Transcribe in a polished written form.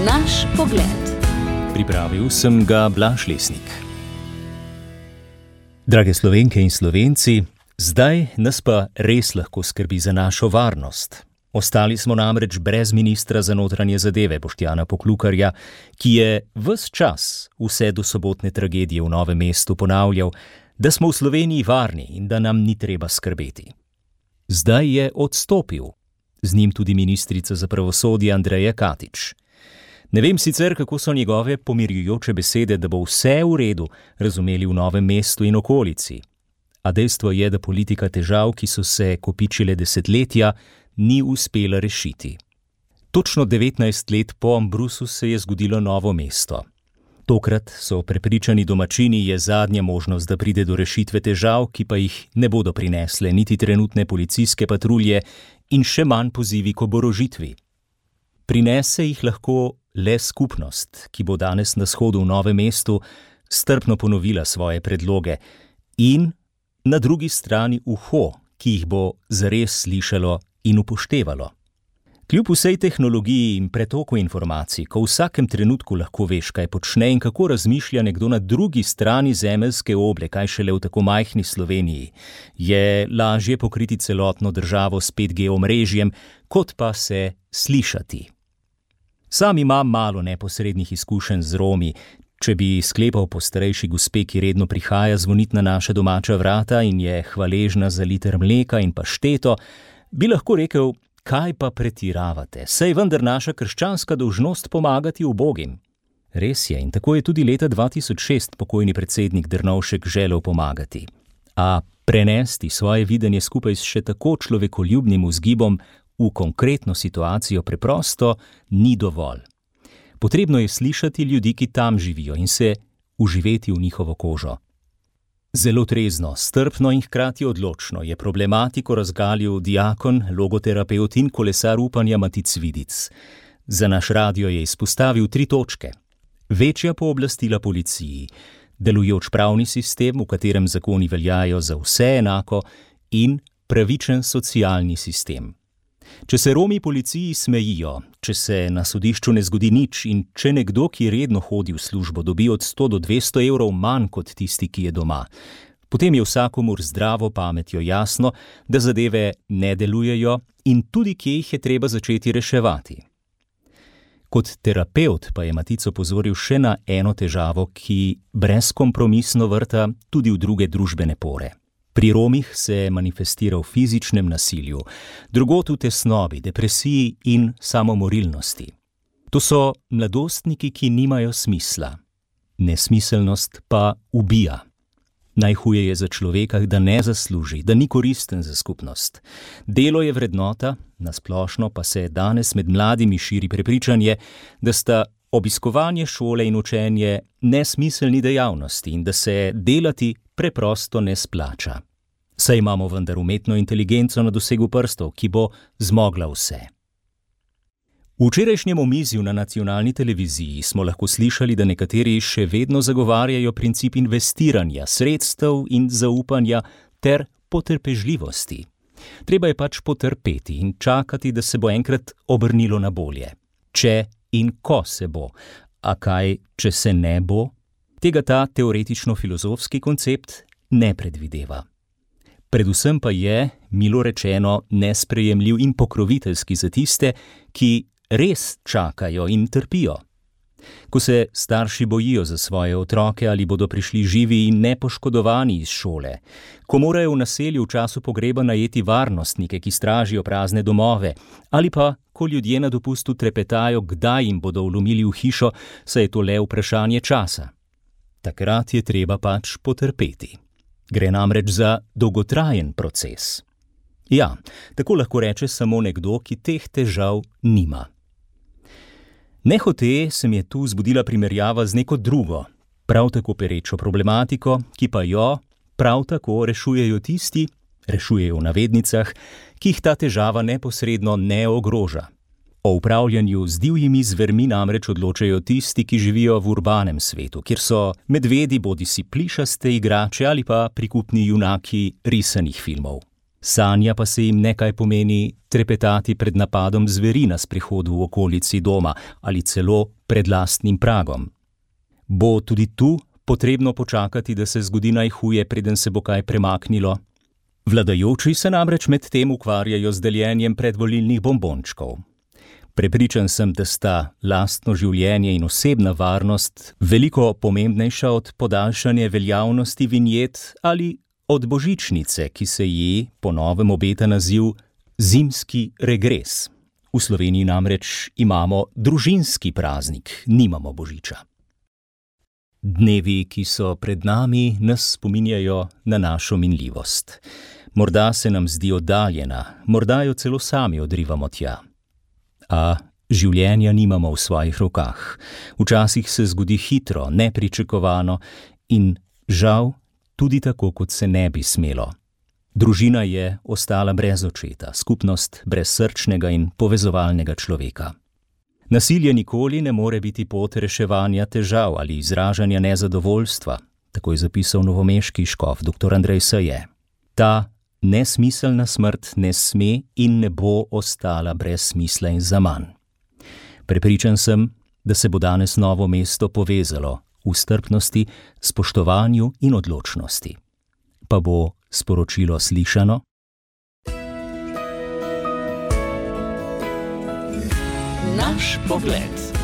Naš pogled. Pripravil sem ga Blaž Lesnik. Drage Slovenke in Slovenci, zdaj nas pa res lahko skrbi za našo varnost. Ostali smo namreč brez ministra za notranje zadeve Boštjana Poklukarja, ki je ves čas, vse do sobotne tragedije v Novem mestu, ponavljal, da smo v Sloveniji varni in da nam ni treba skrbeti. Zdaj je odstopil, z njim tudi ministrica za pravosodje Andreja Katič. Ne vem sicer, kako so njegove pomirjujoče besede, da bo vse v redu, razumeli v Novem mestu in okolici. A dejstvo je, da politika težav, ki so se kopičile desetletja, ni uspela rešiti. Točno 19 let po Ambrusu se je zgodilo Novo mesto. Tokrat so prepričani domačini, je zadnja možnost, da pride do rešitve težav, ki pa jih ne bodo prinesle niti trenutne policijske patrulje in še manj pozivi k oborožitvi. Prinese jih lahko le skupnost, ki bo danes na shodu v Novem mestu strpno ponovila svoje predloge in na drugi strani uho, ki jih bo zares slišalo in upoštevalo. Kljub vsej tehnologiji in pretoku informacij, ko v vsakem trenutku lahko veš, kaj počne in kako razmišlja nekdo na drugi strani zemeljske oble, kaj šele v tako majhni Sloveniji, je lažje pokriti celotno državo s 5G omrežjem, kot pa se slišati. Sam imam malo neposrednih izkušenj z Romi. Če bi sklepal po starejši gospe, ki redno prihaja zvonit na naša domača vrata in je hvaležna za liter mleka in pašteto, bi lahko rekel, kaj pa pretiravate, saj vendar naša krščanska dolžnost pomagati ubogim. Res je, in tako je tudi leta 2006 pokojni predsednik Drnovšek želel pomagati. A prenesti svoje videnje skupaj s še tako človekoljubnim vzgibom v konkretno situacijo preprosto ni dovolj. Potrebno je slišati ljudi, ki tam živijo in se vživeti v njihovo kožo. Zelo trezno, strpno in hkrati odločno je problematiko razgalil diakon, logoterapevt in kolesar upanja Matic Vidic. Za naš radio je izpostavil 3 točke. Večja pooblastila policiji, delujoč pravni sistem, v katerem zakoni veljajo za vse enako, in pravičen socialni sistem. Če se Romi policiji smejijo, če se na sodišču ne zgodi nič in če nekdo, ki redno hodi v službo, dobi od 100 do 200 evrov manj kot tisti, ki je doma, potem je vsakomur zdravo pametjo jasno, da zadeve ne delujejo in tudi kje jih je treba začeti reševati. Kot terapevt pa je Matic opozoril še na eno težavo, ki brezkompromisno vrta tudi v druge družbene pore. Pri Romih se manifestira v fizičnem nasilju, drugod v tesnobi, depresiji in samomorilnosti. To so mladostniki, ki nimajo smisla. Nesmiselnost pa ubija. Najhuje je za človeka, da ne zasluži, da ni koristen za skupnost. Delo je vrednota, nasplošno pa se danes med mladimi širi prepričanje, da sta obiskovanje šole in učenje nesmiselni dejavnosti in da se delati preprosto ne splača. Saj imamo vendar umetno inteligenco na dosegu prstov, ki bo zmogla vse. V včerajšnjem omizju na nacionalni televiziji smo lahko slišali, da nekateri še vedno zagovarjajo princip investiranja, sredstev in zaupanja ter potrpežljivosti. Treba je pač potrpeti in čakati, da se bo enkrat obrnilo na bolje. Če in ko se bo. A kaj, če se ne bo? Tega ta teoretično-filozofski koncept ne predvideva. Predvsem pa je, milo rečeno, nesprejemljiv in pokroviteljski za tiste, ki res čakajo in trpijo. Ko se starši bojijo za svoje otroke, ali bodo prišli živi in nepoškodovani iz šole, ko morajo v naselju v času pogreba najeti varnostnike, ki stražijo prazne domove, ali pa ko ljudje na dopustu trepetajo, kdaj jim bodo vlomili v hišo, saj je to le vprašanje časa. Takrat je treba pač potrpeti. Gre namreč za dolgotrajen proces. Ja, tako lahko reče samo nekdo, ki teh težav nima. Nehote se mi je tu zbudila primerjava z neko drugo, prav tako perečo problematiko, ki pa jo prav tako rešujejo tisti, rešujejo v navednicah, ki jih ta težava neposredno ne ogroža. O upravljanju z divjimi zvermi namreč odločajo tisti, ki živijo v urbanem svetu, kjer so medvedi bodisi plišaste igrače ali pa prikupni junaki risanih filmov. Sanja pa se jim nekaj pomeni trepetati pred napadom zveri na sprehodu v okolici doma ali celo pred lastnim pragom. Bo tudi tu potrebno počakati, da se zgodi najhuje, preden se bo kaj premaknilo? Vladajoči se namreč med tem ukvarjajo z deljenjem predvolilnih bombončkov. Prepričan sem, da sta lastno življenje in osebna varnost veliko pomembnejša od podaljšanja veljavnosti vinjet ali od božičnice, ki se ji po novem obeta naziv zimski regres. V Sloveniji namreč imamo družinski praznik, nimamo božiča. Dnevi, ki so pred nami, nas spominjajo na našo minljivost. Morda se nam zdi oddaljena, morda jo celo sami odrivamo tja. A življenja nimamo v svojih rokah. Včasih se zgodi hitro, nepričakovano in žal tudi tako, kot se ne bi smelo. Družina je ostala brez očeta, skupnost brez srčnega in povezovalnega človeka. Nasilje nikoli ne more biti pot reševanja težav ali izražanja nezadovoljstva, tako je zapisal novomeški škof dr. Andrej Saje. Ta nesmiselna smrt ne sme in ne bo ostala brez smisla in zaman. Prepričan sem, da se bo danes Novo mesto povezalo v strpnosti, spoštovanju in odločnosti. Pa bo sporočilo slišano? Naš pogled.